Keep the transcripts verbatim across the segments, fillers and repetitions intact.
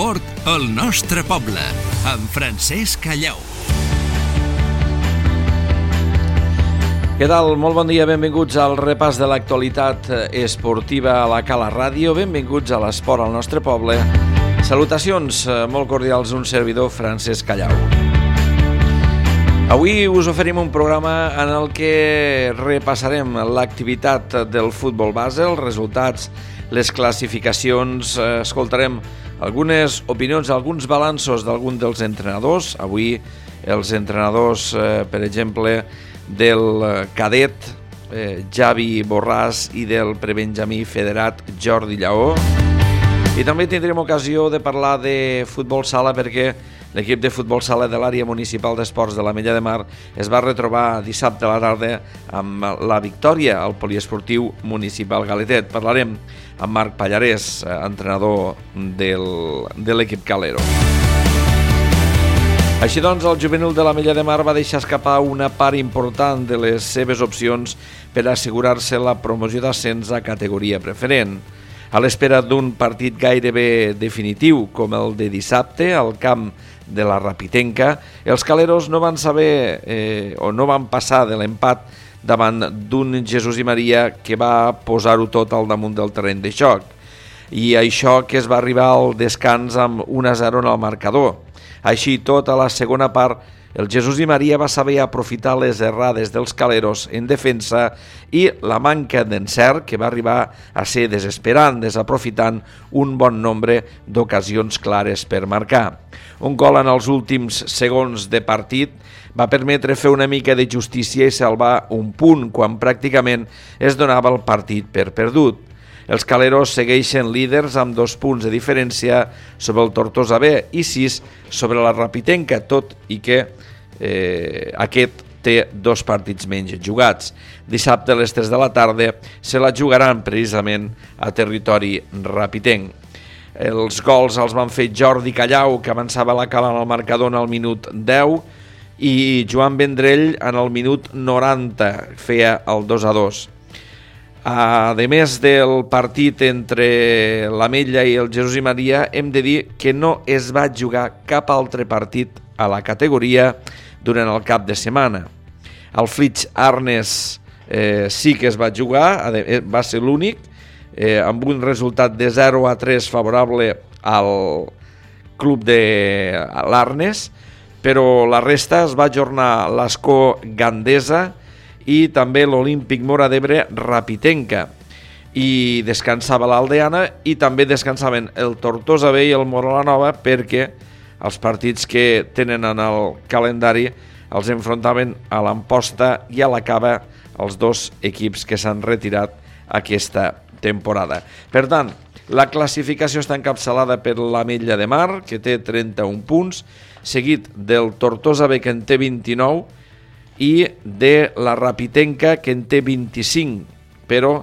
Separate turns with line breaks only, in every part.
L'esport al nostre poble, amb Francesc Callau.
Què tal? Molt bon dia, benvinguts al repàs de l'actualitat esportiva a la Cala Ràdio. Benvinguts a l'esport al nostre poble. Salutacions molt cordials, un servidor, Francesc Callau. Avui us oferim un programa en el que repassarem l'activitat del futbol base, els resultats, les classificacions, escoltarem algunes opinions, alguns balanços d'algun dels entrenadors. Avui els entrenadors, per exemple, del cadet eh, Javi Borràs i del prebenjamí federat Jordi Lleó. I també tindrem ocasió de parlar de futbol sala perquè l'equip de futbol sala de l'àrea municipal d'esports de l'Ametlla de Mar es va retrobar dissabte a la tarda amb la victòria al poliesportiu municipal Galetet. Parlarem amb Marc Pallarès, entrenador del, de l'equip calero. Així doncs, el juvenil de l'Ametlla de Mar va deixar escapar una part important de les seves opcions per assegurar-se la promoció d'ascens a categoria preferent. A l'espera d'un partit gairebé definitiu, com el de dissabte, al camp de la Rapitenca, els caleros no van saber eh, o no van passar de l'empat davant d'un Jesús i Maria que va posar-ho tot al damunt del terreny de joc. I això que es va arribar al descans amb un a zero en el marcador. Així tot, a la segona part, el Jesús i Maria va saber aprofitar les errades dels caleros en defensa i la manca d'encert que va arribar a ser desesperant, desaprofitant un bon nombre d'ocasions clares per marcar. Un gol en els últims segons de partit va permetre fer una mica de justícia i salvar un punt quan pràcticament es donava el partit per perdut. Els caleros segueixen líders amb dos punts de diferència sobre el Tortosa B i sis sobre la Rapitenca, tot i que eh, aquest té dos partits menys jugats. Dissabte a les tres de la tarda se la jugaran precisament a territori rapitenc. Els gols els van fer Jordi Callau, que avançava la cala en el marcador en el minut deu, i Joan Vendrell en el minut noranta feia el dos a dos. A més del partit entre l'Ametlla i el Jesús i Maria, hem de dir que no es va jugar cap altre partit a la categoria durant el cap de setmana. El Flix Arnes eh, sí que es va jugar, va ser l'únic, eh, amb un resultat de zero a tres favorable al club de l'Arnes, però la resta es va ajornar l'Escó Gandesa i també l'Olímpic Móra d'Ebre Rapitenca, i descansava l'Aldeana i també descansaven el Tortosa B i el Móra la Nova perquè els partits que tenen en el calendari els enfrontaven a l'Amposta i a la Cava, els dos equips que s'han retirat aquesta temporada. Per tant, la classificació està encapçalada per l'Ametlla de Mar, que té trenta-un punts, seguit del Tortosa B, que en té vint-i-nou, i de la Rapitenca, que en té vint-i-cinc, però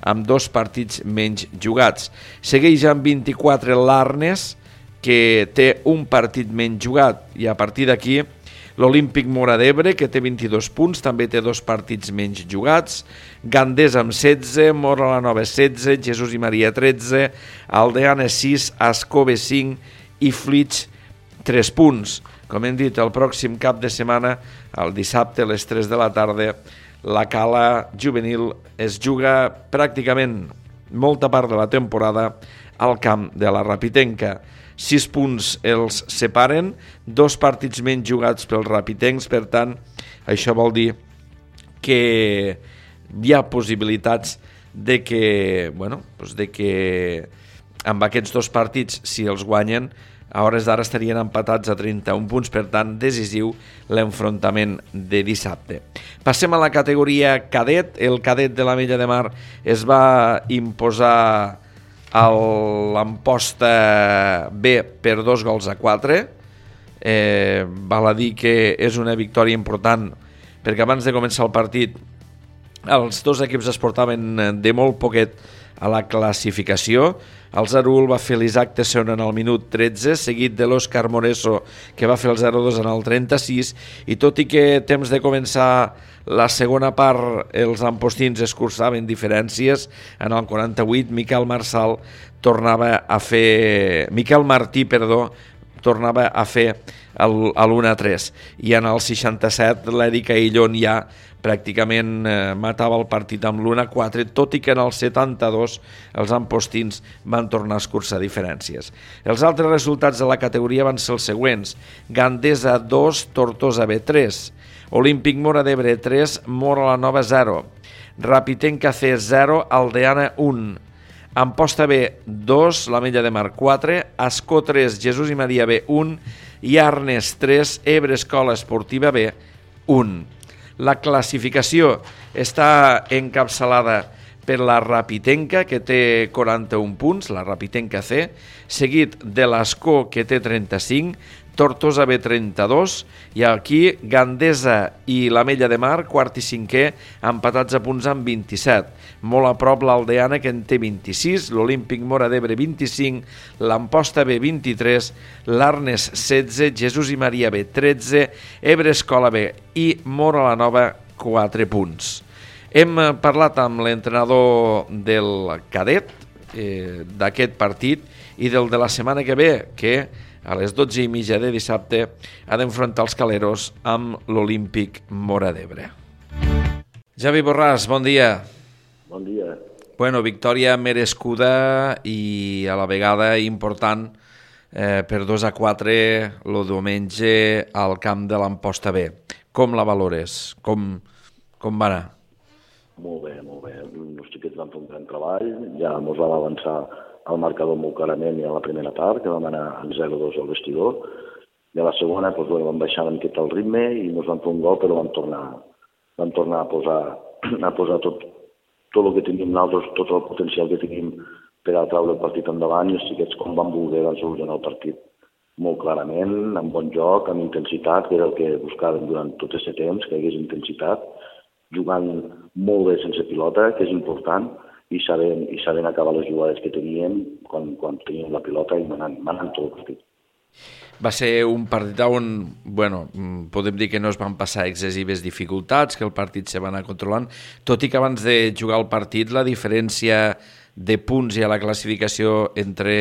amb dos partits menys jugats. Segueix amb vint-i-quatre l'Arnes, que té un partit menys jugat, i a partir d'aquí l'Olímpic Móra d'Ebre, que té vint-i-dos punts, també té dos partits menys jugats, Gandesa amb setze, Móra la Nova setze, Jesús i Maria tretze, Aldeana sis, Ascove cinc i Flix tres punts. Com hem dit, el pròxim cap de setmana, el dissabte a les tres de la tarda, la cala juvenil es juga pràcticament molta part de la temporada al camp de la Rapitenca. Sis punts els separen, dos partits menys jugats pels rapitencs, per tant, això vol dir que hi ha possibilitats de que, bueno, doncs de que amb aquests dos partits, si els guanyen, a hores d'ara estarien empatats a trenta-un punts, per tant, decisiu l'enfrontament de dissabte. Passem a la categoria cadet. El cadet de l'Ametlla de Mar es va imposar a l'Amposta B per dos gols a quatre. Eh, val a dir que és una victòria important, perquè abans de començar el partit els dos equips es portaven de molt poquet A la classificació, el zero u va fer l'Isaac Tesson en el minut tretze, seguit de l'Òscar Moreso, que va fer el zero dos en el trenta-sis, i tot i que temps de començar la segona part els ampostins escurçaven diferències, en el quaranta-vuit Miquel Marçal tornava a fer... Miquel Martí, perdó, tornava a fer l'u a tres, i en el seixanta-set l'Eric Aillón ja pràcticament eh, matava el partit amb l'u a quatre, tot i que en el setanta-dos els ampostins van tornar a escurçar diferències. Els altres resultats de la categoria van ser els següents: Gandesa dos, Tortosa B tres, Olímpic Móra d'Ebre tres, Móra la Nova zero, Rapitenca C zero, Aldeana un, Amposta B dos, l'Ametlla de Mar quatre, Ascó tres, Jesús i Maria B un i Arnes tres, Ebre Escola Esportiva B un. La classificació està encapçalada per la Rapitenca, que té quaranta-un punts, la Rapitenca C, seguit de l'Ascó, que té trenta-cinc, Tortosa B trenta-dos, i aquí Gandesa i l'Ametlla de Mar, quart i cinquè, empatats a punts amb vint-i-set. Molt a prop l'Aldeana, que en té vint-i-sis, l'Olímpic Móra d'Ebre vint-i-cinc, l'Amposta B vint-i-tres, l'Arnes setze, Jesús i Maria B tretze, Ebre Escola B i Móra la Nova quatre punts. Hem parlat amb l'entrenador del cadet eh, d'aquest partit i del de la setmana que ve, que a les dotze i mitja de dissabte ha d'enfrontar els caleros amb l'Olímpic Móra d'Ebre. Javi Borràs, bon dia.
Bon dia.
Bueno, victòria merescuda i a la vegada important eh, per dos a quatre el diumenge al camp de l'Amposta B. Com la valores? Com, com va anar?
Molt bé, molt bé. Els xiquets van fer un gran treball, ja ens vam avançar al marcador molt clarament i a la primera part, que vam anar en zero dos al vestidor, i a la segona doncs, bueno, vam baixar una miqueta el ritme i ens van fer un gol, però vam tornar, vam tornar a posar, a posar tot, tot el que teníem nosaltres, tot el potencial que teníem per a treure el partit endavant, i els xiquets, com van voler, van solucionar el partit molt clarament, amb bon joc, amb intensitat, que era el que buscàvem durant tot aquest temps, que hi hagués intensitat, jugant molt bé sense pilota, que és important, i sabent, i sabent acabar les jugades que teníem quan, quan teníem la pilota i manant, manant tot el partit.
Va ser un partit on, bueno, podem dir que no es van passar excessives dificultats, que el partit se va anar controlant, tot i que abans de jugar el partit la diferència de punts i a la classificació entre,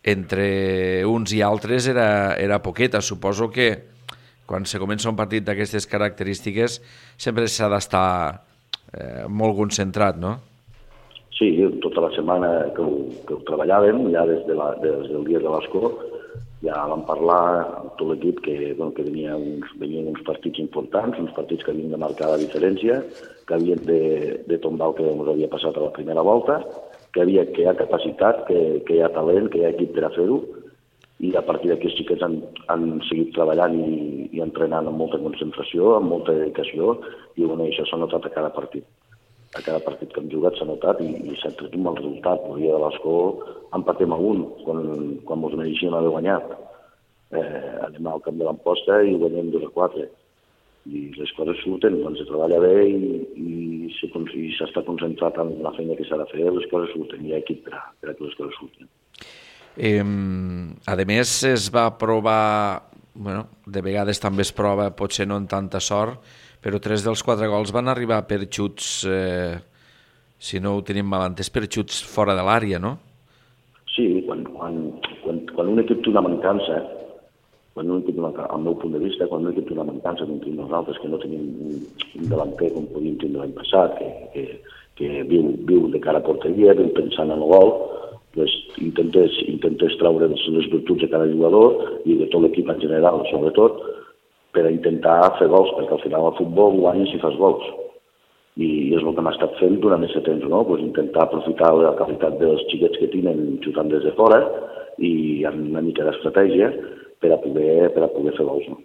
entre uns i altres era, era poqueta. Suposo que quan se comença un partit d'aquestes característiques sempre s'ha d'estar eh, molt concentrat, no?
Sí, tota la setmana que ho, que ho treballàvem, ja des, de la, des del dia de l'Escó, ja vam parlar amb tot l'equip que, bueno, que venia uns, venien uns partits importants, uns partits que havien de marcar la diferència, que havien de, de tombar el que ens havia passat a la primera volta, que, havia, que hi ha capacitat, que, que hi ha talent, que hi ha equip per a fer-ho, i a partir d'aquí els xiquets han, han seguit treballant i, i entrenant amb molta concentració, amb molta dedicació, i bueno, això s'ha notat a cada partit. A cada partit que hem jugat s'ha notat i, i s'ha tret un mal resultat. El dia de l'Escó empatem a un, quan, quan ens mereixíem haver guanyat. Eh, anem al camp de l'Amposta i guanyem dos a quatre. I les coses surten, quan se treballa bé i, i, se, i s'està concentrat en la feina que s'ha de fer, les coses surten, hi ha equip per a, per a que les coses surten.
Eh, a més, es va provar, bueno, de vegades també es prova, potser no amb tanta sort, però tres dels quatre gols van arribar per xuts, eh, si no ho tenim mal entès, per xuts fora de l'àrea, no?
Sí, quan, quan, quan, quan un equip té una mancança, quan un equip, al meu punt de vista, quan un equip té una mancança, com tenim nosaltres, que no tenim un, un delanter com podíem tenir l'any passat, que, que, que viu, viu de cara a porteria, viu pensant en el gol, pues, intentes, intentes treure les virtuts de cada jugador i de tot l'equip en general, sobretot, per a intentar fer gols, perquè al final al futbol guanyes si fas gols. I és el que hem estat fent durant aquest temps, no? Pues intentar aprofitar la qualitat dels xiquets que tenen xutant des de fora i amb una mica d'estratègia per a poder, per a poder fer gols, no?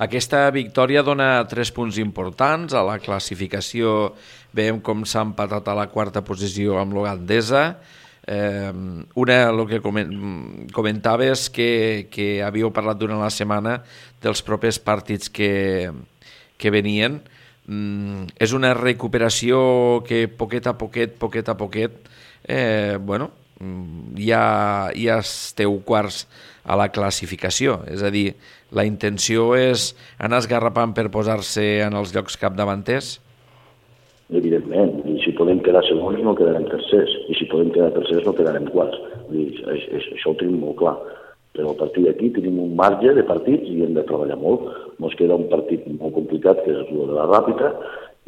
Aquesta victòria dona tres punts importants. A la classificació veiem com s'ha empatat a la quarta posició amb l'Ogandesa. Eh, una, el que comentaves que, que havíeu parlat durant la setmana dels propers partits que, que venien. mm, és una recuperació que poquet a poquet, poquet a poquet, eh, bueno, ja, ja esteu quarts a la classificació. És a dir, la intenció és anar esgarrapant per posar-se en els llocs capdavanters?
Evidentment, i si podem quedar segons no quedarem tercers, i si podem quedar tercers no quedarem quarts. Dir, això ho tenim molt clar. Però a partir d'aquí tenim un marge de partits i hem de treballar molt. Ens queda un partit molt complicat, que és el de la Ràpita,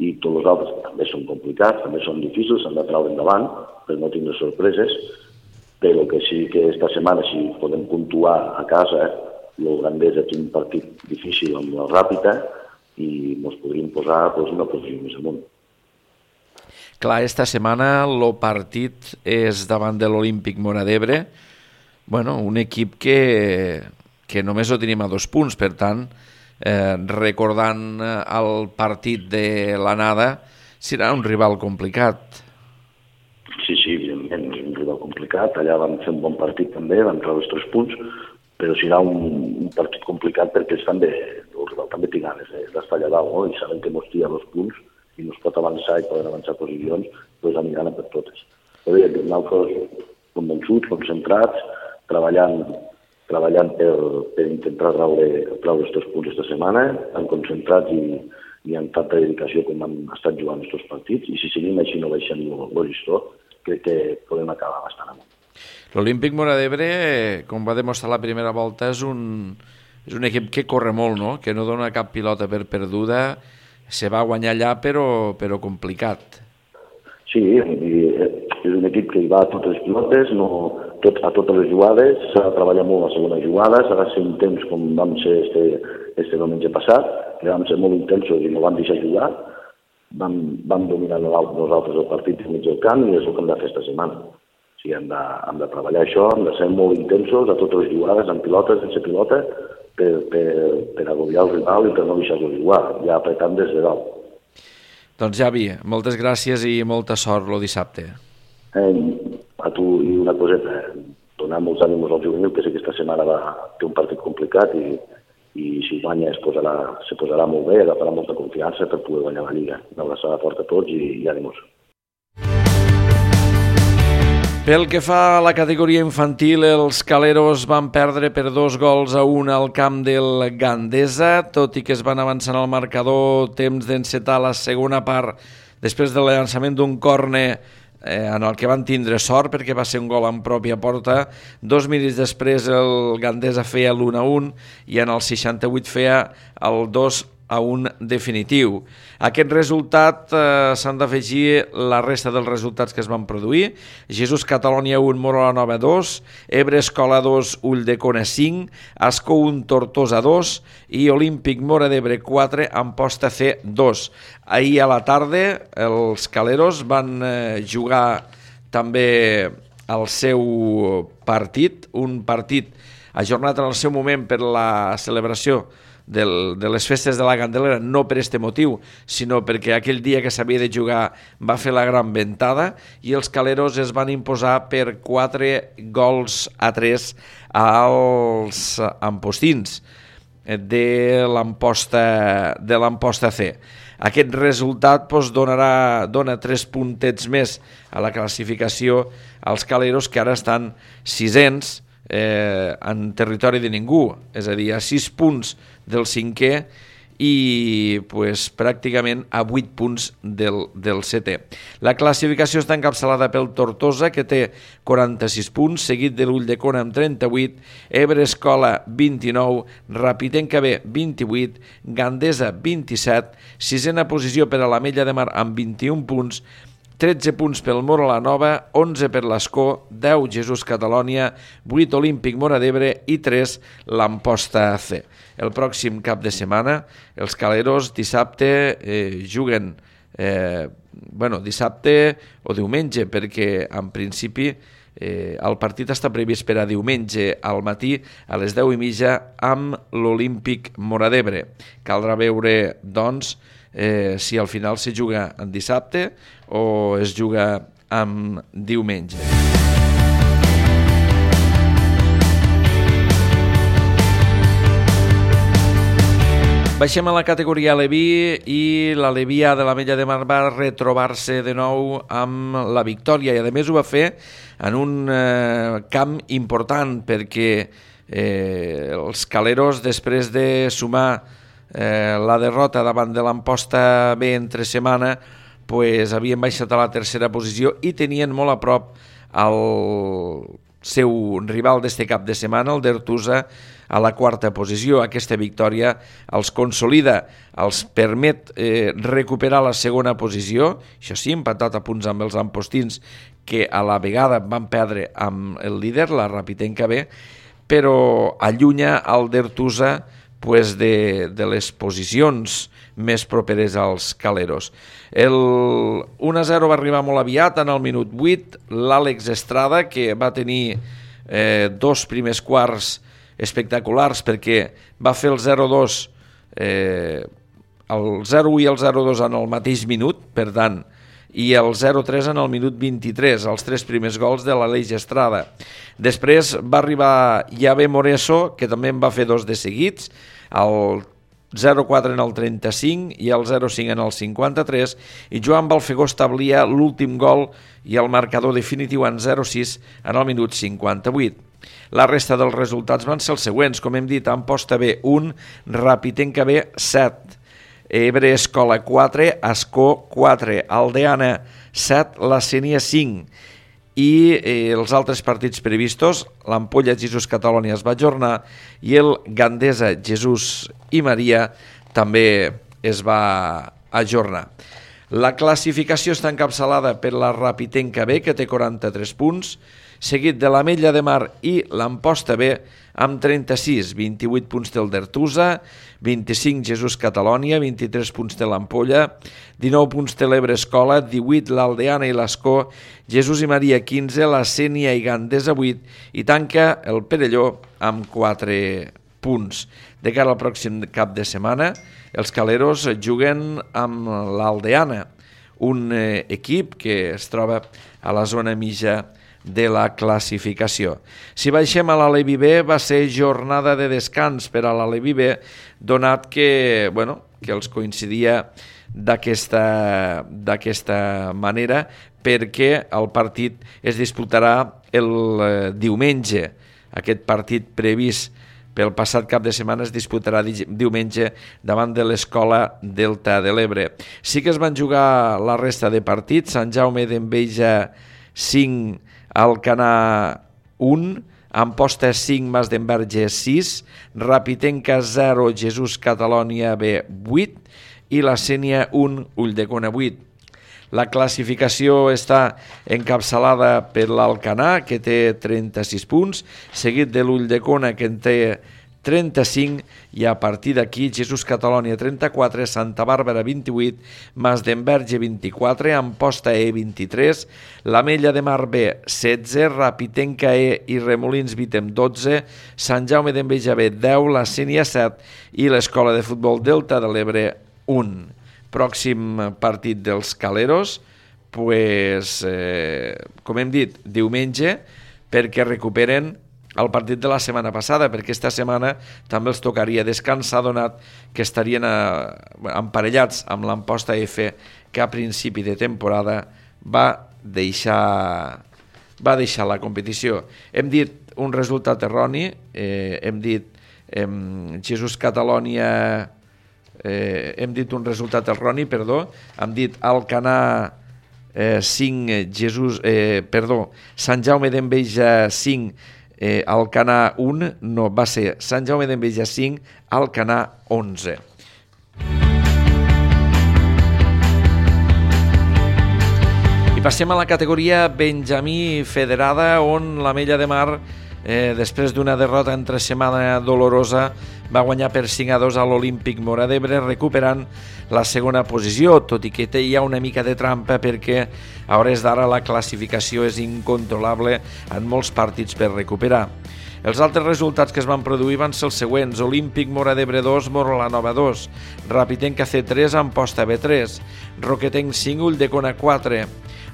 i tots els altres també són complicats, també són difícils, s'han de treure endavant per no tindre sorpreses, però que sí que esta setmana, si podem puntuar a casa, el Gandesa té un partit difícil amb la Ràpita i ens podríem posar doncs, una posició més amunt.
Clar, esta setmana el partit és davant de l'Olímpic Móra d'Ebre, bueno, un equip que, que només ho tenim a dos punts, per tant, eh, recordant el partit de l'anada, serà un rival complicat.
Sí, sí, evidentment, és un rival complicat. Allà vam fer un bon partit també, vam treure els tres punts, però serà un, un partit complicat perquè ells també, el rival també té ganes eh, d'estar allà dalt, no? I saben que mos tira dos punts i no es pot avançar i poden avançar posicions, doncs aniran per totes. Però bé, nosaltres convençuts, concentrats, treballant, treballant per, per intentar treure, treure els tres punts aquesta setmana, tan concentrats i, i amb tanta dedicació com han estat jugant aquests partits, i si seguim així no baixem el llistó, crec que podem acabar bastant amunt.
L'Olímpic Móra d'Ebre, com va demostrar la primera volta, és un, és un equip que corre molt, no? Que no dona cap pilota per perduda, se va guanyar allà però, però complicat. Sí,
és un equip que hi va a totes les pilotes, no, tot, a totes les jugades, s'ha de treballar molt la segona jugada, s'ha de ser intens com vam ser este, este diumenge passat, que vam ser molt intensos i no vam deixar jugar, vam, vam dominar nosaltres el partit mig del camp i és el que hem de fer esta setmana. O sigui, hem de, hem de treballar això, hem de ser molt intensos a totes les jugades, amb pilotes, sense pilota, per, per, per agobiar el rival i per no deixar-lo jugar, ja apretant des de dalt.
Doncs Javi, moltes gràcies i molta sort el dissabte.
Eh, a tu i una coseta, donar molts ànims al juvenil, que sé que aquesta setmana va té un partit complicat i, i si guanya es posarà, se posarà molt bé, agafarà molta confiança per poder guanyar la Lliga. Una abraçada forta a tots i, i ànims.
Pel que fa a la categoria infantil, els Caleros van perdre per dos gols a un al camp del Gandesa, tot i que es van avançar al marcador temps d'encetar la segona part després del llançament d'un córner eh, en el que van tindre sort perquè va ser un gol en pròpia porta. Dos minuts després el Gandesa feia l'u a un i en el seixanta-vuit feia el dos a un definitiu. A aquest resultat eh, s'han d'afegir la resta dels resultats que es van produir. Jesús Catalònia un, Móra la Nova dos, Ebre Escola dos, Ulldecona cinc, Ascó un, Tortosa dos i Olímpic Móra d'Ebre quatre, Amposta C dos. Ahir a la tarda els Caleros van eh, jugar també el seu partit, un partit ajornat en el seu moment per la celebració Del, de les festes de la Candelera, no per este motiu, sinó perquè aquell dia que s'havia de jugar va fer la gran ventada i els Caleros es van imposar per quatre gols a tres als ampostins de l'Amposta de l'Amposta C. Aquest resultat doncs, donarà, dona tres puntets més a la classificació als Caleros, que ara estan sisens eh, en territori de ningú, és a dir, a sis punts del cinquè i pues, pràcticament a vuit punts del, del setè. La classificació està encapçalada pel Tortosa, que té quaranta-sis punts, seguit de l'Ulldecona amb trenta-vuit, Ebre Escola vint-i-nou, Rapitenca B vint-i-vuit, Gandesa vint-i-set, sisena posició per a l'Ametlla de Mar amb vint-i-un punts, tretze punts pel Móra la Nova, onze per l'Ascó, deu Jesús Catalònia, vuit Olímpic Móra d'Ebre i tres l'Amposta C. El pròxim cap de setmana els Caleros dissabte eh, juguen eh, bueno, dissabte o diumenge, perquè en principi eh, el partit està previst per a diumenge al matí a les deu i mitja amb l'Olímpic Móra d'Ebre. Caldrà veure, doncs, eh, si al final se juga en dissabte o es juga en diumenge. Baixem a la categoria Aleví i l'Aleví A de l'Ametlla de Mar va retrobar-se de nou amb la victòria i a més ho va fer en un eh, camp important perquè eh, els caleros, després de sumar eh, la derrota davant de l'Amposta B entre setmana, pues, havien baixat a la tercera posició i tenien molt a prop el seu rival d'este cap de setmana, el d'Ertusa, a la quarta posició. Aquesta victòria els consolida, els permet eh, recuperar la segona posició, això sí, empatat a punts amb els ampostins, que a la vegada van perdre amb el líder, la Rapitenca B, però allunya el d'Ertusa pues, de, de les posicions més properes als caleros. El un a zero va arribar molt aviat, en el minut vuit, l'Àlex Estrada, que va tenir eh, dos primers quarts espectaculars perquè va fer el zero dos, eh, el zero u i el zero dos en el mateix minut, per tant, i el zero tres en el minut vint-i-tres, els tres primers gols de l'Àlex Estrada. Després va arribar Javé Moreso, que també en va fer dos de seguits, el zero quatre en el trenta-cinc i el zero cinc en el cinquanta-tres, i Joan Balfegó establia l'últim gol i el marcador definitiu en zero sis en el minut cinquanta-vuit. La resta dels resultats van ser els següents, com hem dit, Amposta B un, Rapitenca B set, Ebre Escola quatre, Ascó quatre, Aldeana set, La Sénia cinc, i eh, els altres partits previstos, l'Ampolla Jesús Catalònia es va ajornar i el Gandesa Jesús i Maria també es va ajornar. La classificació està encapçalada per la Rapitenca B, que té quaranta-tres punts, seguit de l'Ametlla de Mar i l'Amposta B amb trenta-sis, vint-i-vuit punts del d'Ertusa, vint-i-cinc Jesús Catalònia, vint-i-tres punts de l'Ampolla, dinou punts de l'Ebre Escola, divuit l'Aldeana i l'Ascó, Jesús i Maria quinze, la Sénia i Gandesa vuit i tanca el Perelló amb quatre punts. De cara al pròxim cap de setmana, els caleros juguen amb l'Aldeana, un eh, equip que es troba a la zona mitja de la classificació. Si baixem a l'Aleví B, va ser jornada de descans per a l'Aleví B, donat que, bueno, que els coincidia d'aquesta d'aquesta manera, perquè el partit es disputarà el eh, diumenge. Aquest partit previst pel passat cap de setmana es disputarà diumenge davant de l'Escola Delta de l'Ebre. Sí que es van jugar la resta de partits, Sant Jaume d'Enveja cinc, Alcanar un, Amposta cinc, Mas d'Enverge sis, Rapitenca zero, Jesús Catalònia B vuit i la Sénia un, Ulldecona vuit. La classificació està encapçalada per l'Alcanar, que té trenta-sis punts, seguit de l'Ulldecona, que en té trenta-cinc, i a partir d'aquí Jesús Catalònia trenta-quatre, Santa Bàrbara vint-i-vuit, Mas d'Enverge vint-i-quatre, Amposta E vint-i-tres, l'Ametlla de Mar B setze, Rapitenca E i Remolins Vitem dotze, Sant Jaume d'Enveja B deu, la Sénia set i l'Escola de Futbol Delta de l'Ebre un. Pròxim partit dels caleros, pues, eh, com hem dit, diumenge, perquè recuperen el partit de la setmana passada, perquè aquesta setmana també els tocaria descansar, donat que estarien a, emparellats amb l'Amposta F, que a principi de temporada va deixar, va deixar la competició. Hem dit un resultat erroni, eh, hem dit eh, Jesús Catalònia... Eh, hem dit un resultat erroni, perdó, hem dit Alcanar eh, cinc, Jesús, eh, perdó, Sant Jaume d'Enveja cinc, eh, Alcanar un, no, va ser Sant Jaume d'Enveja cinc, Alcanar onze. I passem a la categoria Benjamí Federada, on l'Ametlla de Mar, eh, després d'una derrota entre setmana dolorosa, va guanyar per cinc a dos a l'Olímpic Móra d'Ebre, recuperant la segona posició, tot i que té ja una mica de trampa perquè a hores d'ara la classificació és incontrolable en molts partits per recuperar. Els altres resultats que es van produir van ser els següents: Olímpic Móra d'Ebre dos, Morolanova dos, Rapitenca C tres, Amposta B tres, Roquetenc cinc, Ulldecona quatre,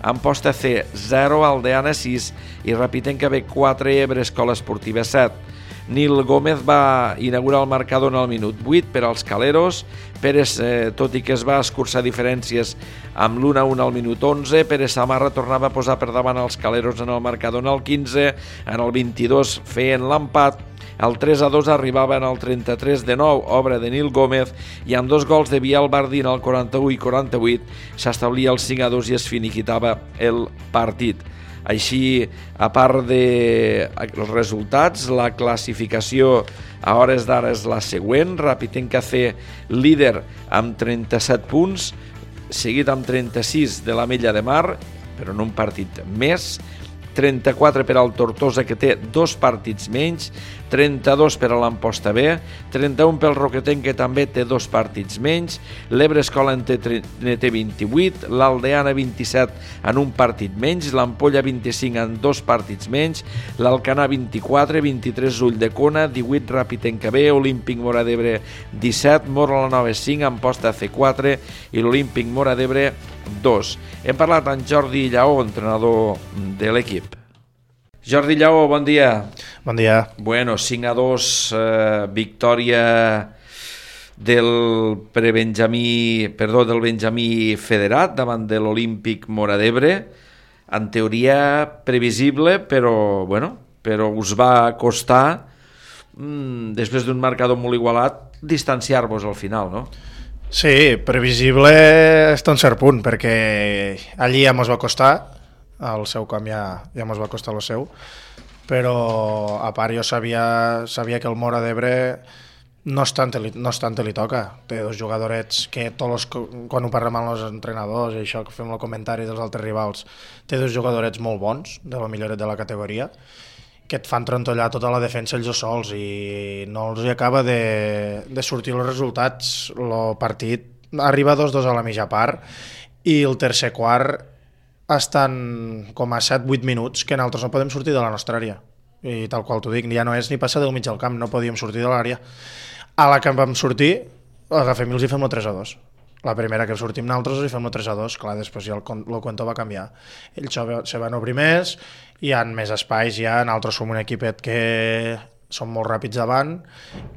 Amposta C zero, Aldeana sis i Rapitenca B quatre, Ebre Escola Esportiva set. Nil Gómez va inaugurar el marcador en el minut vuit per als caleros. Pérez, eh, tot i que es va escurçar diferències amb l'u a u al minut onze, Pérez Samarra tornava a posar per davant els caleros en el marcador en el quinze, en el vint-i-dos feien l'empat. El tres a dos arribava en el trenta-tres de nou, obra de Nil Gómez, i amb dos gols de Biel Bardín al quaranta-u i quaranta-vuit s'establia el cinc a dos i es finiquitava el partit. Així, a part dels resultats, la classificació a hores d'ara és la següent. Rapitenca C, líder amb trenta-set punts, seguit amb trenta-sis de l'Ametlla de Mar, però en un partit més. trenta-quatre per al Tortosa, que té dos partits menys, trenta-dos per a l'Amposta B, trenta-un pel Roquetenc, que també té dos partits menys, l'Ebre Escola en té, en té vint-i-vuit, l'Aldeana vint-i-set en un partit menys, l'Ampolla vint-i-cinc en dos partits menys, l'Alcanar vint-i-quatre, vint-i-tres Ulldecona, divuit Rapitenca B, Olímpic Móra d'Ebre disset, Móra la Nova cinc, Amposta C quatre i l'Olímpic Móra d'Ebre dos. Hem parlat amb Jordi Lleó, entrenador de l'equip. Jordi Lleó, bon dia.
Bon dia.
Bueno, cinc a dos, eh, victòria del prebenjamí, perdó, del Benjamí Federat davant de l'Olímpic Móra d'Ebre. En teoria previsible, però, bueno, però us va costar, mmm, després d'un marcador molt igualat, distanciar-vos al final, no?
Sí, previsible està un cert punt, perquè allí ja mos va costar, al seu camp ja, ja mos va costar el seu, però a part jo sabia, sabia que el Móra d'Ebre no és tant, no és tant li toca, té dos jugadorets que tots els, quan ho parlem amb els entrenadors i això que fem el comentari dels altres rivals, té dos jugadorets molt bons, de la milloret de la categoria, que et fan trontollar tota la defensa ells sols i no els acaba de, de sortir els resultats. El partit arriba dos dos a la mitja part i el tercer quart estan com a set vuit minuts que nosaltres no podem sortir de la nostra àrea, i tal qual t'ho dic, ja no és ni passar del mig del camp, no podíem sortir de l'àrea. A la que vam sortir, agafem i els hi fem el tres a dos. La primera que sortim nosaltres els hi fem el tres a dos, clar, després ja el, el cuento va canviar. Ells se van obrir més, hi ha més espais, ja nosaltres som un equipet que som molt ràpids davant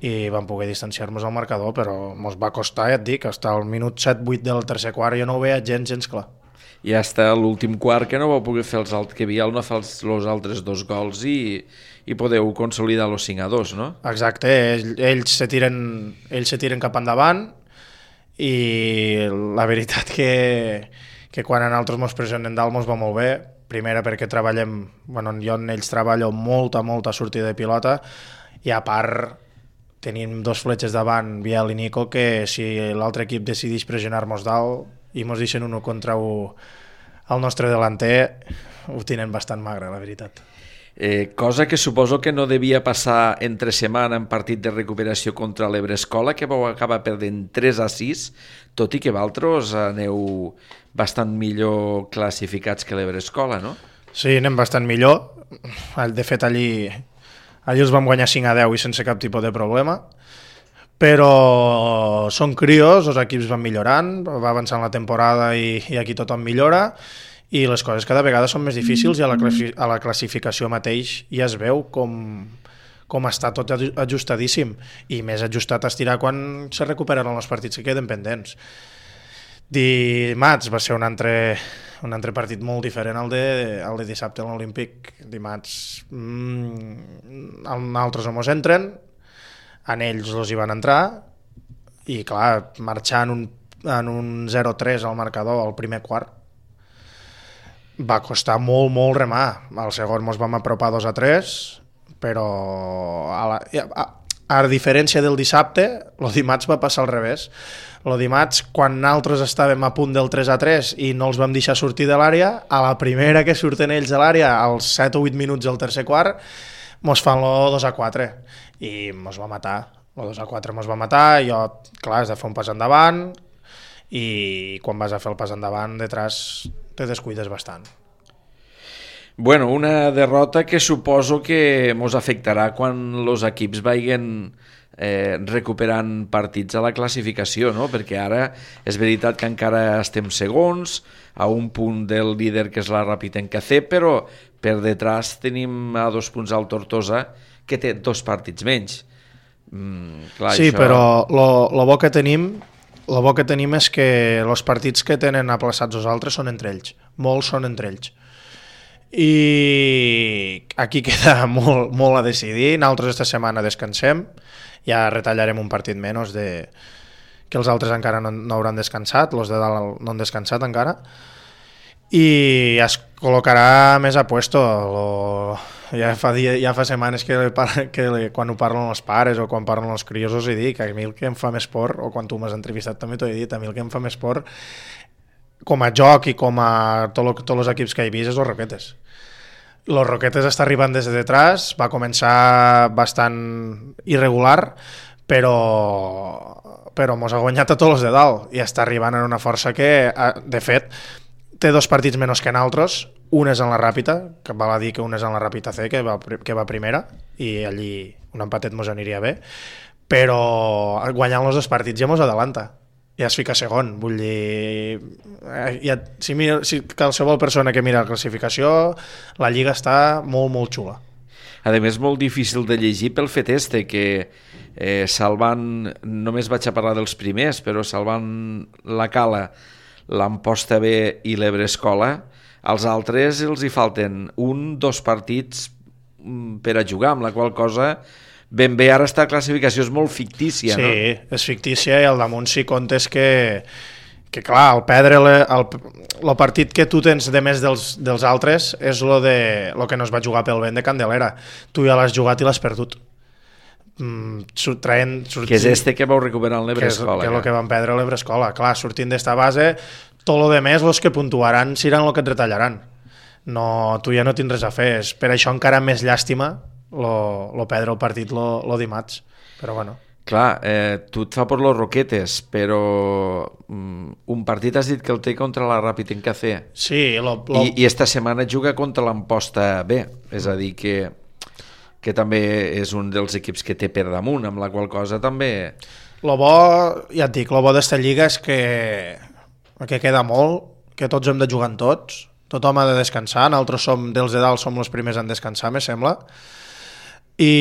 i vam poder distanciar-nos al marcador, però ens va costar, ja et dic, fins al minut set vuit del tercer quart jo no ho veia gens, gens clar.
I hasta l'últim quart que no vau poder fer els altres, que Biel no fa els, els altres dos gols i, i podeu consolidar els cinc a dos, no?
Exacte, ells, ells, se tiren, ells se tiren cap endavant i la veritat que, que quan a nosaltres ens pressionen dalt ens va molt bé, primera perquè treballem, bueno, jo en ells treballo molta, molta sortida de pilota i a part tenim dos fletxes davant, Biel i Nico, que si l'altre equip decideix pressionar-nos dalt i ens deixen un contra un al nostre delanter, ho tenen bastant magre, la veritat.
Eh, cosa que suposo que no devia passar entre setmana en partit de recuperació contra l'Ebre Escola, que vau acabar perdent tres a sis, tot i que vosaltres aneu bastant millor classificats que l'Ebre Escola, no?
Sí, anem bastant millor. De fet, allí, allí els vam guanyar cinc a deu i sense cap tipus de problema. Però són crios, els equips van millorant, va avançant la temporada i, i aquí tothom millora i les coses cada vegada són més difícils i a la, a la classificació mateix ja es veu com, com està tot ajustadíssim i més ajustat a estirar quan se recuperen els partits que queden pendents. Dimarts va ser un altre, un altre partit molt diferent al de, al de dissabte a l'Olímpic. Dimarts mmm, altres no mos entren, en ells els hi van entrar i clar, marxar en un, en un zero tres al marcador al primer quart va costar molt, molt remar. Al segon ens vam apropar dos a tres, però a, la, a, a diferència del dissabte, el dimarts va passar al revés. El dimarts, quan nosaltres estàvem a punt del tres a tres i no els vam deixar sortir de l'àrea, a la primera que surten ells de l'àrea, als set o vuit minuts del tercer quart, mos fan el dos a quatre i mos va matar. El dos a quatre mos va matar, jo, clar, has de fer un pas endavant i quan vas a fer el pas endavant, detrás te descuides bastant.
Bueno, una derrota que suposo que mos afectarà quan els equips vagin eh, recuperant partits a la classificació, no? Perquè ara és veritat que encara estem segons, a un punt del líder que és la Rapitenca C, però per detrás tenim a dos punts al Tortosa, que té dos partits menys. Mm, clar,
sí,
això...
però el bo que tenim el bo que tenim és que els partits que tenen aplaçats els altres són entre ells. Molts són entre ells. I aquí queda molt, molt a decidir. Nosaltres esta setmana descansem, ja retallarem un partit menys de... que els altres encara no, no hauran descansat, els de dalt no han descansat encara, i es col·locarà més a puesto. Lo... Ja, fa dia, ja fa setmanes que, que quan ho parlen els pares o quan parlen els crios us he dit que a mi el que em fa més por, o quan tu m'has entrevistat també t'ho he dit, a mi el que em fa més por com a joc i com a tot, tots els equips que he vist és els Roquetes. Los Roquetes està arribant des de detrás, va començar bastant irregular, però però mos ha guanyat a tots els de dalt i està arribant en una força que, de fet, té dos partits menys que nosaltres. Un és en la Ràpita, que val a dir que un és en la Ràpita C, que va, que va primera, i allí un empatet mos aniria bé, però guanyant els dos partits ja mos adelanta. Ja es fica segon, vull dir... Ja, si, mira, si qualsevol persona que mira la classificació, la Lliga està molt, molt xula.
A més, molt difícil de llegir pel fet este, que eh, salvant, només vaig a parlar dels primers, però salvant la Cala, l'Amposta B i l'Ebre Escola, als altres els hi falten un, dos partits per a jugar, amb la qual cosa ben bé ara esta classificació és molt fictícia,
sí,
no?
Sí, és fictícia i al damunt si comptes que, que clar, el perdre el, el, el partit que tu tens de més dels, dels altres és lo, de, lo que no es va jugar pel vent de Candelera. Tu ja l'has jugat i l'has perdut. Mm, traient, sortint,
que és este que vau recuperar en l'Ebre Escola.
Que és el que van perdre a l'Ebre Escola. Clar, sortint d'esta base, tot lo de més, els que puntuaran seran el que et retallaran. No, tu ja no tens res a fer. És per això encara més llàstima lo, lo perdre el partit lo, lo dimarts. Però bueno.
Clar, eh, tu et fa per los Roquetes, però um, un partit has dit que el té contra la Ràpid en Café.
Sí. Lo, lo...
I, I esta setmana juga contra l'Amposta B, és a dir que que també és un dels equips que té per damunt, amb la qual cosa també...
Lo bo, ja et dic, lo bo d'esta lliga és que, que queda molt, que tots hem de jugar en tots, tothom ha de descansar, nosaltres som, dels de dalt som els primers en descansar, me sembla, i,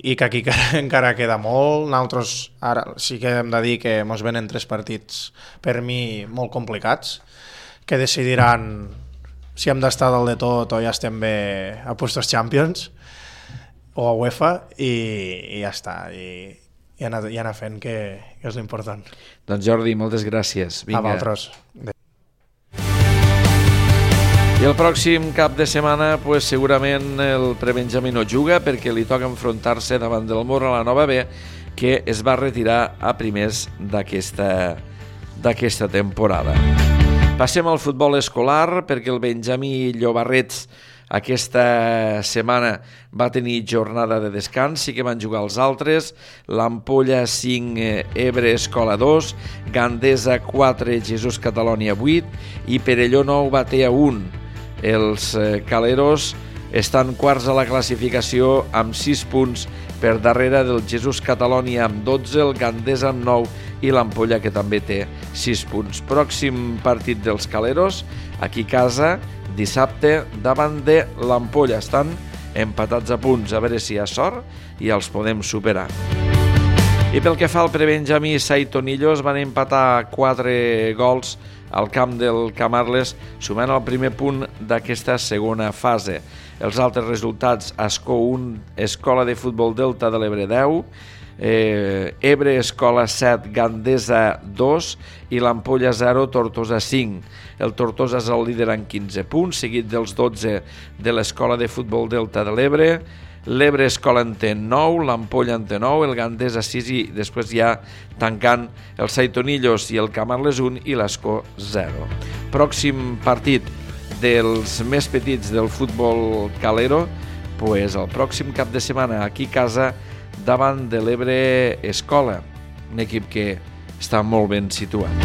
i que aquí encara queda molt. Nosaltres ara sí que hem de dir que ens venen tres partits per mi molt complicats, que decidiran si hem d'estar dalt de tot o ja estem bé a puestos Champions, o a UEFA, i, i ja està, i, i anar, i anar fent, que, que és l'important.
Doncs Jordi, moltes gràcies. Vinga.
A vosaltres.
I el pròxim cap de setmana pues, segurament el prebenjamí no juga perquè li toca enfrontar-se davant del Mor a la Nova B, que es va retirar a primers d'aquesta d'aquesta temporada. Passem al futbol escolar perquè el Benjamí Llobarrets aquesta setmana va tenir jornada de descans, sí que van jugar els altres, l'Ampolla cinc, Ebre Escola dos, Gandesa quatre, Jesús Catalònia vuit i Perelló nou, Batea un. Els caleros estan quarts a la classificació amb sis punts per darrere del Jesús Catalònia amb dotze, el Gandesa amb nou i l'Ampolla que també té sis punts. Pròxim partit dels caleros, aquí a casa, dissabte davant de l'Ampolla. Estan empatats a punts, a veure si hi ha sort i els podem superar. I pel que fa al prebenjamí, Saitonillos van empatar quatre gols al camp del Camarles, sumant el primer punt d'aquesta segona fase. Els altres resultats: Ascó un, Escola de Futbol Delta de l'Ebre deu, eh, Ebre Escola set, Gandesa dos i l'Ampolla zero, Tortosa cinc. El Tortosa és el líder amb quinze punts, seguit dels dotze de l'Escola de Futbol Delta de l'Ebre. L'Ebre Escola en té nou, l'Ampolla en té nou, el Gandesa sis i després ja tancant el Saitonillos i el Camarles un i l'Ascó zero. Pròxim partit dels més petits del futbol calero, pues el pròxim cap de setmana aquí a casa davant de l'Ebre Escola, un equip que està molt ben situat.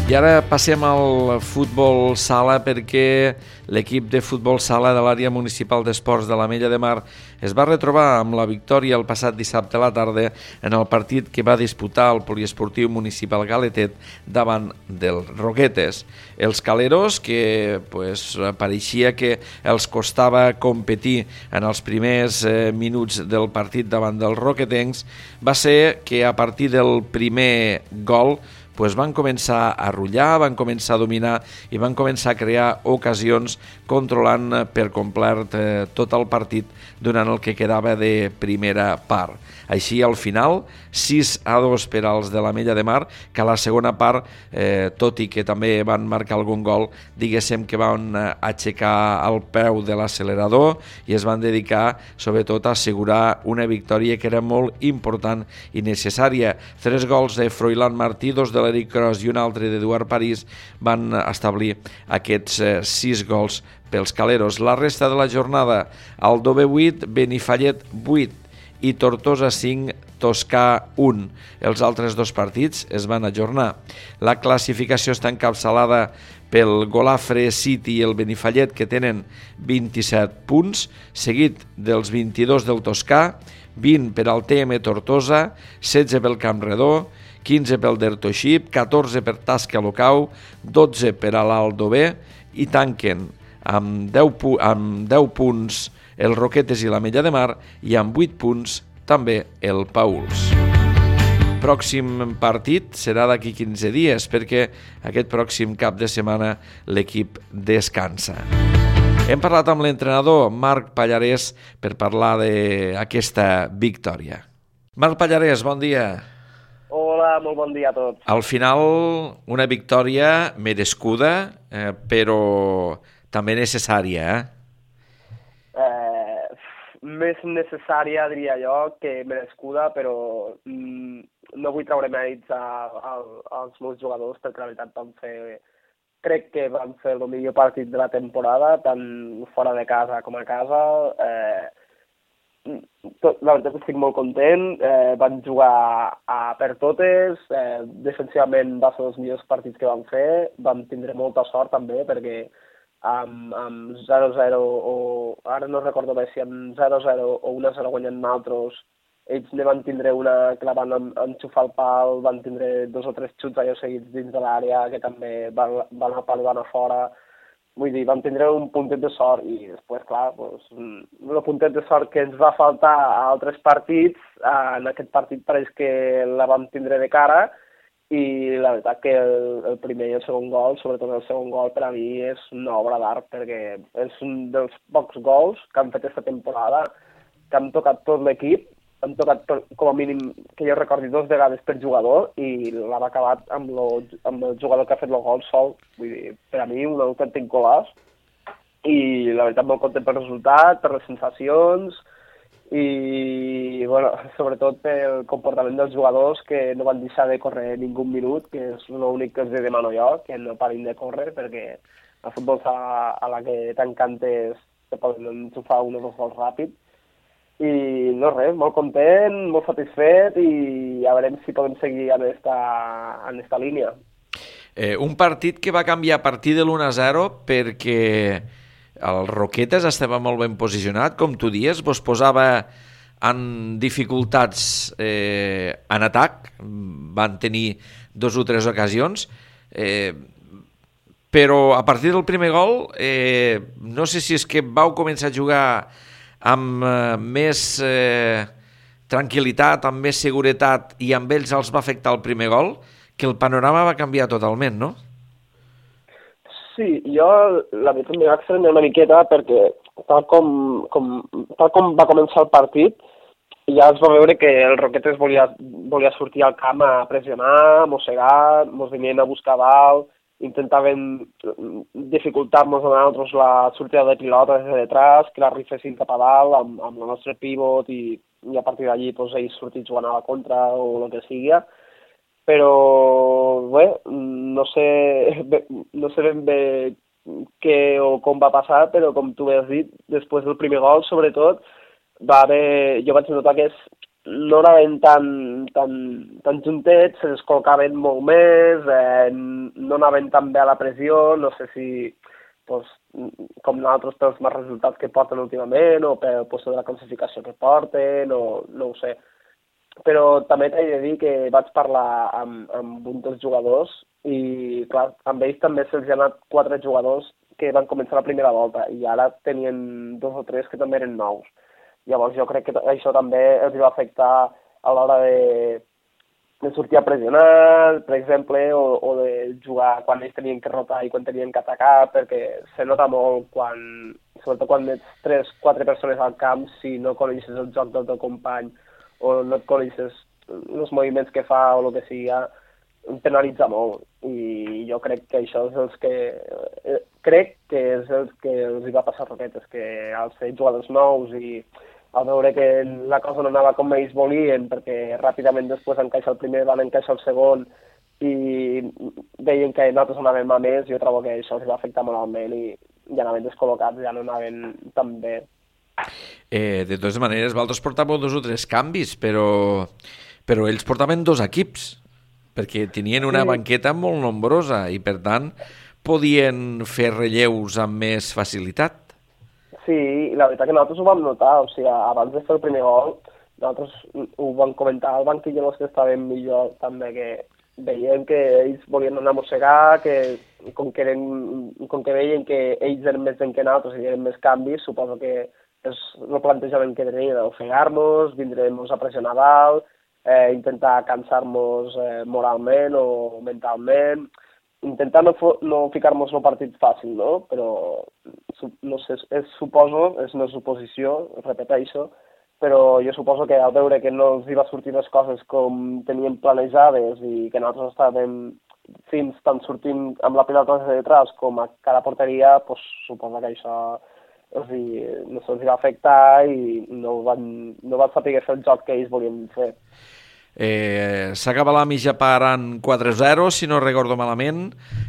I ara passem al futbol sala perquè l'equip de futbol sala de l'àrea municipal d'esports de l'Ametlla de Mar es va retrobar amb la victòria el passat dissabte a la tarda en el partit que va disputar el poliesportiu municipal Galetet davant dels Roquetes. Els caleros, que pues, pareixia que els costava competir en els primers eh, minuts del partit davant dels roquetencs, va ser que a partir del primer gol pues van començar a rutllar, van començar a dominar i van començar a crear ocasions controlant per complet eh, tot el partit durant el que quedava de primera part. Així, al final, sis a dos per als de l'Ametlla de Mar, que a la segona part, eh, tot i que també van marcar algun gol, diguéssim que van aixecar el peu de l'accelerador i es van dedicar, sobretot, a assegurar una victòria que era molt important i necessària. Tres gols de Froilán Martí, dos de l'Eric Cros i un altre d'Eduard París van establir aquests eh, sis gols pels caleros. La resta de la jornada, Aldover vuit, Benifallet vuit i Tortosa cinc, Toscà un. Els altres dos partits es van ajornar. La classificació està encapçalada pel Golafre City i el Benifallet, que tenen vint-i-set punts, seguit dels vint-i-dos del Toscà, vint per al T M Tortosa, setze pel Campredó, quinze pel Dertoixip, catorze per Tasca Locau, dotze per a l'Aldover i tanquen amb deu, pu- amb deu punts el Roquetes i l'Ametlla de Mar i amb vuit punts també el Pauls. Pròxim partit serà d'aquí quinze dies perquè aquest pròxim cap de setmana l'equip descansa. Hem parlat amb l'entrenador Marc Pallarès per parlar d'aquesta victòria. Marc Pallarès, bon dia.
Hola, molt bon dia a tots.
Al final, una victòria merescuda, eh, però també necessària, eh?
Eh, més necessària, diria jo, que merescuda, però mm, no vull treure mèrits a, a, als meus jugadors, perquè la veritat van fer, crec que van fer el millor partit de la temporada, tant fora de casa com a casa. Eh, tot, la veritat estic molt content, eh, van jugar a per totes, eh, defensivament va ser els millors partits que van fer, vam tindre molta sort també, perquè amb, amb zero zero o ara no recordo bé si amb zero zero o un a zero guanyant nosaltres, ells ne van tindre una que la van enxufar al pal, van tindre dos o tres xuts allò seguits dins de l'àrea que també van, van al pal i van a fora. Vull dir, vam tindre un puntet de sort i després, clar, doncs, el puntet de sort que ens va faltar a altres partits, en aquest partit pareix que la vam tindre de cara. I la veritat que el, el primer i el segon gol, sobretot el segon gol, per a mi és una obra d'art, perquè és un dels pocs gols que han fet aquesta temporada, que han tocat tot l'equip, han tocat tot, com a mínim, que jo recordi, dos vegades per jugador, i l'ha acabat amb, lo, amb el jugador que ha fet el gol sol. Vull dir, per a mi, un autèntic golaç, i la veritat molt content pel resultat, per les sensacions, i bueno, sobretot pel comportament dels jugadors, que no van deixar de córrer ningú minut, que és l'únic que els demano jo, que no parin de córrer, perquè el futbol sala a la que t'encantes te poden enxufar un o dos gols ràpid. I no res, molt content, molt satisfet, i a veurem si podem seguir en esta, en esta línia.
Eh, un partit que va canviar a partir de l'u a zero perquè el Roquetes estava molt ben posicionat, com tu dies, vos posava en dificultats eh, en atac, van tenir dos o tres ocasions, eh, però a partir del primer gol, eh, no sé si és que vau començar a jugar amb eh, més eh, tranquil·litat, amb més seguretat, i amb ells els va afectar el primer gol, que el panorama va canviar totalment, no?
Sí, jo la veritat m'hi va estranyar una miqueta perquè tal com, com, tal com va començar el partit ja es va veure que el Roquetes volia, volia sortir al camp a pressionar, a mossegar, mos venien a buscar dalt, intentaven dificultar-nos a nosaltres la sortida de pilota des de detrás, que la rifessin cap a dalt amb, amb el nostre pivot i, i a partir d'allí pues, ells sortits jugant a la contra o el que sigui. Però, bé, no sé, no sé ben bé què o com va passar, però com tu has dit, després del primer gol, sobretot, va haver, jo vaig notar que és, no anaven tan, tan, tan juntets, se descol·locaven molt més, eh, no anaven tan bé a la pressió, no sé si pues, com nosaltres pels més resultats que porten últimament o pel puesto de la classificació que porten, o no ho sé. Però també t'he de dir que vaig parlar amb, amb un dels jugadors i, clar, amb ells també se'ls ha anat quatre jugadors que van començar la primera volta i ara tenien dos o tres que també eren nous. Llavors jo crec que això també els va afectar a l'hora de, de sortir a pressionar, per exemple, o, o de jugar quan ells tenien que rotar i quan tenien que atacar, perquè se nota molt quan, sobretot quan ets tres, quatre persones al camp, si no coneixes el joc del teu company o no et coneixes els moviments que fa o el que sigui, penalitza molt. I jo crec que això és els que... Eh, crec que és el que els hi va passar a Roquetes, que al ser jugadors nous i al veure que la cosa no anava com ells volien, perquè ràpidament després encaixa el primer, van encaixar el segon, i veien que nosaltres anàvem a més, jo trobo que això els va afectar moralment i ja anaven descol·locats, ja no anaven tan bé.
Eh, de totes maneres, vosaltres portàveu dos o tres canvis, però, però ells portaven dos equips, perquè tenien una sí. banqueta molt nombrosa i, per tant, podien fer relleus amb més facilitat.
Sí, la veritat que nosaltres ho vam notar, o sigui, abans de fer el primer gol, nosaltres ho vam comentar al banquillo els que estaven millor, també, que veiem que ells volien anar a mossegar, que com que, eren, com que veien que ells eren més gent que nosaltres i eren més canvis, suposo que és el plantejament que tenien, ofegar-nos, vindre-nos a pressionar dalt, eh, intentar cansar-nos eh, moralment o mentalment, intentar no, no ficar-nos en un partit fàcil, no? Però, no sé, és, suposo, és una suposició, repeteixo, però jo suposo que al veure que no els hi va sortir les coses com tenien planejades i que nosaltres estàvem fins tant sortint amb la pilota de detrás com a cada porteria, pues, suposo que això els hi, no se'ls va afectar i no van, no van saber fer el joc que ells volien fer.
Eh, S'acaba la mitja part en quatre zero, si no recordo malament.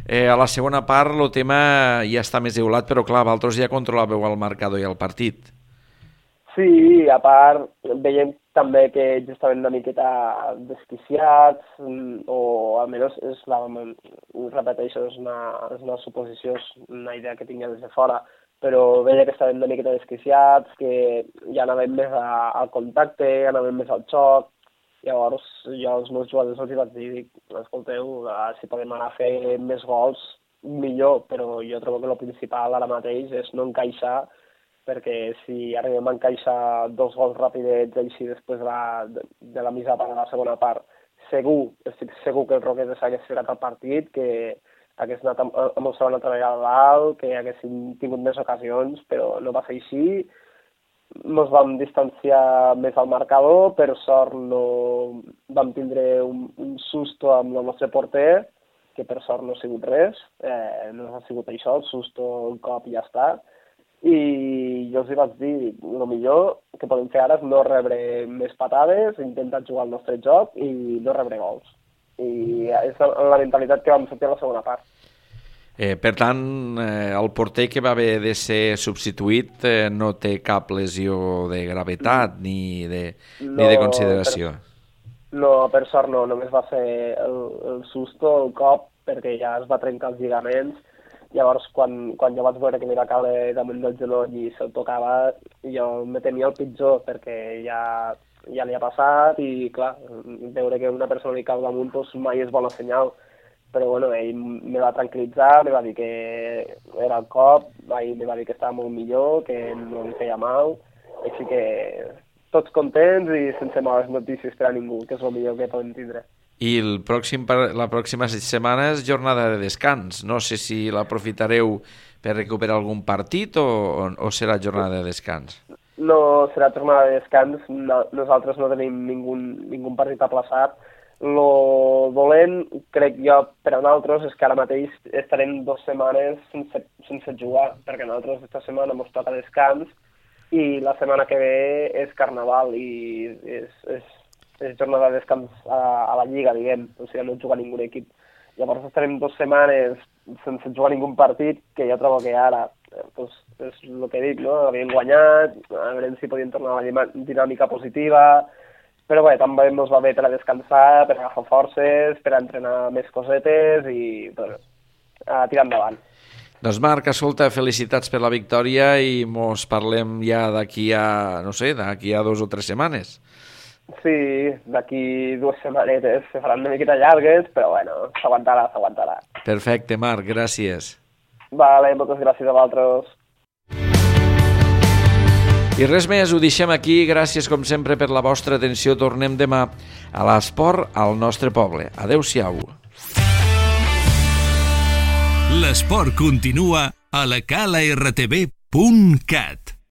Eh, a la segona part el tema ja està més eulat, però clar, vosaltres ja controlàveu el marcador i el partit.
Sí, a part veiem també que ells estaven una miqueta desquiciats, o almenys és la, repeteixo, és una, és una suposició, és una idea que tinc des de fora, però veia que estaven una miqueta desquiciats, que ja anaven més a, al contacte, anaven més al xoc. Llavors jo als meus jugadors els vaig dir, dic, escolteu, si podem anar a fer més gols, millor, però jo trobo que el principal ara mateix és no encaixar, perquè si arribem a encaixar dos gols ràpidets així després de la, de, de la mitja part de la segona part, segur, estic segur que el Roquetes hagués ficat el partit, que hagués anat amb, amb el segon altra vegada dalt, que haguessin tingut més ocasions, però no va ser així. Ens vam distanciar més al marcador, per sort no vam tindre un, un susto amb el nostre porter, que per sort no ha sigut res, eh, no ha sigut això, el susto un cop i ja està. I jo els hi vaig dir, el millor que podem fer ara és no rebre més patades, intentar jugar el nostre joc i no rebre gols. I és la mentalitat que vam sortir a la segona part.
Eh, per tant, eh, el porter que va haver de ser substituït eh, no té cap lesió de gravetat ni de, no, ni de consideració.
Per, no, per sort no, només va ser el, el susto, el cop, perquè ja es va trencar els lligaments. Llavors, quan, quan jo vaig veure que li va caure damunt del genoll i se'l tocava, jo me temia el pitjor, perquè ja, ja li ha passat i, clar, veure que una persona li cau damunt doncs mai és bona senyal. Però bueno, ell me va tranquil·litzar, me va dir que era el cop, ell me va dir que estava molt millor, que no li feia mal, així que tots contents i sense males notícies per a ningú, que és el millor que podem tindre.
I el pròxim, la pròxima setmana és jornada de descans. No sé si l'aprofitareu per recuperar algun partit o, o serà jornada de descans.
No, serà jornada de descans. No, nosaltres no tenim ningú, ningú partit aplaçat. Lo dolent, crec jo, per a nosaltres és que ara mateix estarem dues setmanes sense, sense jugar, perquè nosaltres aquesta setmana ens toca descans i la setmana que ve és Carnaval i és, és, és jornada de descans a, a la Lliga, diguem, o sigui, no juga ningú equip. Llavors estarem dues setmanes sense jugar ningú partit, que jo trobo que ara pues, és el que dic, no? Havien guanyat, a veure si podien tornar a la dinàmica positiva, però bé, també ens va bé per a descansar, per agafar forces, per a entrenar més cosetes i bueno, a tirar endavant.
Doncs Marc, escolta, felicitats per la victòria i mos parlem ja d'aquí a, no sé, d'aquí a dos o tres setmanes.
Sí, d'aquí dues setmanetes se faran una miqueta llargues, però bueno, s'aguantarà, s'aguantarà.
Perfecte, Marc, gràcies.
Vale, moltes gràcies a vosaltres.
I res més, ho deixem aquí. Gràcies, com sempre, per la vostra atenció. Tornem demà a l'esport al nostre poble. Adéu-siau.
L'esport continua a la cala r t v punt cat.